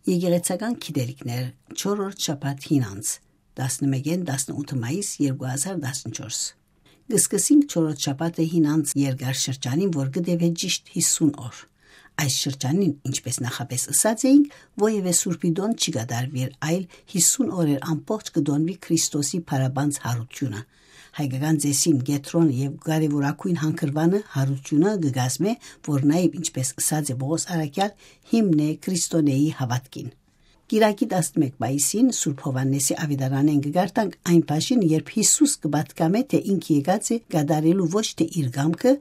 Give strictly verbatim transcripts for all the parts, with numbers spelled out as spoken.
Եկեղեցական գիտելիքներ, չորրորդ շաբաթ հին անց, տասնմէկէն տասնութ մայիս երկու հազար տասնչորս։ Կը սկսենք չորրորդ շաբաթը հին անց երկար շրջանին, որ կը տեւէ ճիշտ հիսուն օր։ Այս շրջանին, ինչպես նախապէս ըսած էինք, որեւէ սուրբի տօն չի կատարուիր, այլ հիսուն օրեր ամբողջ կը տոնուի Քրիստոսի փառաբանձ յարութիւնը։ Հայկական ծեսին կեդրոնը եւ կարեւորագոյն հանգրուանը, յարութիւնը, կը կազմէ, որ նաեւ, ինչպես ըսած է Պողոս առաքեալ, հիմն է Քրիստոնէի հաւատքին։ Կիրակի տասնմէկ մայիսին Սուրբ Յովհաննէսի աւետարանէն կը կարդանք այն բաժինը, երբ Յիսուս կը պատկամէ, թէ ինք եկած է կատարելու ոչ թէ իր կամքը,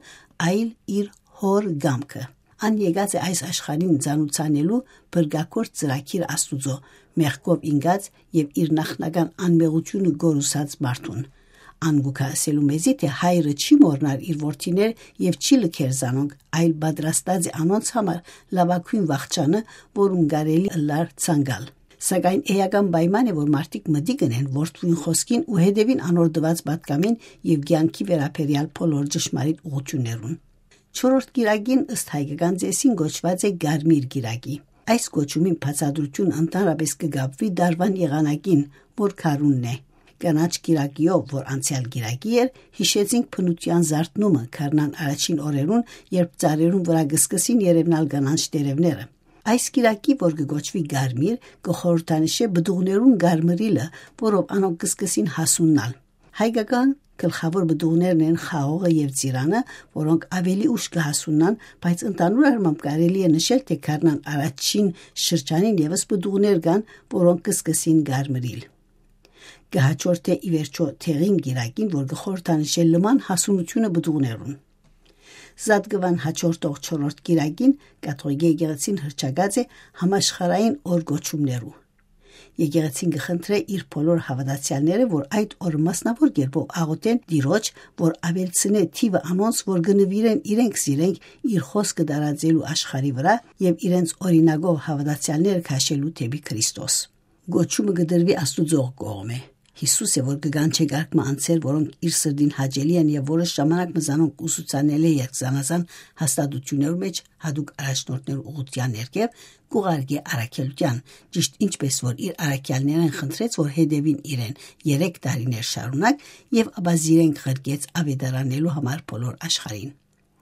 այլ իր Հօր կամքը։ Ան եկած է այս աշխարհին ծանուցանելու փրկագործ ծրագիր Աստուծոյ, մեղքով ինկած եւ իր նախնական անմեղութիւնը գորուսած մարդուն։ Ան կու գայ ըսելու մեզի, թէ Հայրը չի մոռնար իր որդիներ եւ չի լքեր զանոնք, այլ պատրաստած է անոնց համար լաւագոյն վախճանը, որուն կարելի ըլլար ցանկալ։ Սակայն էական պայման է, որ մարդիկ մտիկ ընեն որդւոյն խօսքին ու հետեւին անոր տուած պատկամին եւ կեանքի վերաբերեալ բոլոր ճշմարիտ ուղղութիւններուն։ Չորրորդ կիրակին, ըստ հայկական ծեսին, կոչուած է Կարմիր կիրակի։ Այս կոչումին բացատրութիւնը ընդհանրապէս կը կապուի տարուան եղանակին, որ գարունն է։ Կանաչ կիրակիով, որ անցեալ կիրակի էր, յիշեցինք բնութեան զարթնումը գարնան առաջին օրերուն, երբ ծառերուն վրայ կը սկսին երեւնալ կանաչ տերեւները։ Այս կիրակի, որ կը կոչուի Կարմիր, կը խորհրդանշէ պտուղներուն կարմրիլը, որով անոնք կը սկսին հասուննալ։ Հայկական գլխաւոր պտուղներն են խաղողը եւ ծիրանը, որոնք աւելի ուշ կը հասուննան, բայց ընդհանուր առմամբ կարելի է նշել, թէ գարնան առաջին շրջանին եւս պտուղներ կան, որոնք կը սկսին կարմրիլ։ Կը հաջորդէ ի վերջոյ դեղին կիրակին, որ կը խորհրդանշէ լման հասունութիւնը պտուղներուն։ Զատկուան հաջորդող չորրորդ կիրակին կաթողիկէ եկեղեցին հռչակած է համաշխարհային օր կոչումներու։ Եկեղեցին կը խնդրէ իր բոլոր հաւատացեալները, որ այդ օրը մասնաւոր կերպով աղօթեն Տիրոջ, որ աւելցնէ թիւը անոնց, որ կը նուիրեն իրենք զիրենք իր խօսքը տարածելու աշխարհի վրայ եւ իրենց օրինակով հաւատացեալները քաշելու դէպի Քրիստոս։ Կոչումը կը տրուի Աստուծոյ կողմէ։ Յիսուս է, որ կը կանչէ կարգ մը անձեր, որոնք իր սրտին հաճելի են եւ որոշ ժամանակ մը զանոնք ուսուցանել է, երբ զանազան հաստատութիւններու մէջ յատուկ առաջնորդներու ուղղութեան ներքեւ կ'ուղարկէ առաքելութեան, ճիշտ ինչպես որ իր առաքեալներէն խնդրեց, որ հետեւին իրեն երեք տարիներ շարունակ, եւ ապա զիրենք ղրկեց աւետարանելու համար բոլոր աշխարհին։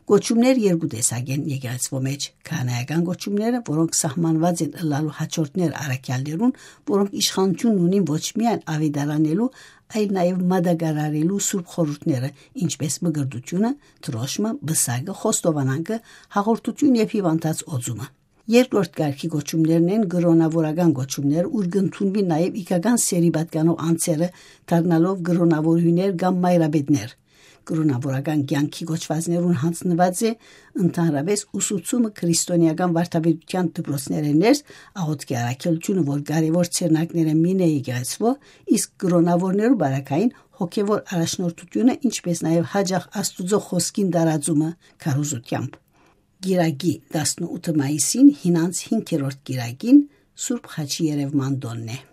Կոչումներ երկու տեսակ են եկեղեցւոյ մէջ. քահանայական կոչումները, որոնք սահմանուած են ըլլալու հաջորդներ առաքեալներուն, որոնք իշխանութիւն ունին ոչ միայն աւետարանելու, այլ նաեւ մատակարարելու սուրբ խորհուրդները, ինչպես մկրտութիւնը, դրոշմը, պսակը, խոստովանանքը, հաղորդութիւն եւ հիւանդանոց օծումը։ Երկրորդ կարգի կոչումներն են կրոնաւորական կոչումներ, ուր կ'ընդունուի նաեւ իգական սերի պատկանող անձերը, դառնալով կրոնաւորուհիներ կամ մայրապետներ։ Կրոնաւորական կեանքի կոչուածներուն յանձնուած է ընդհանրապէս ուսուցումը քրիստոնէական վարդապետութեան դպրոցներէն ներս, աղօթքի առաքելութիւնը, որ կարեւոր ձեռնարկներէն մին է եկեղեցւոյ, իսկ կրոնաւորներու պարագային հոգեւոր առաջնորդութիւնը, ինչպես նաեւ յաճախ Աստուծոյ խօսքին տարածումը քարոզութեամբ։ Կիրակի տասնութ մայիսին, հինանց հինգերորդ կիրակին, Սուրբ Խաչի երեւման տօնն է։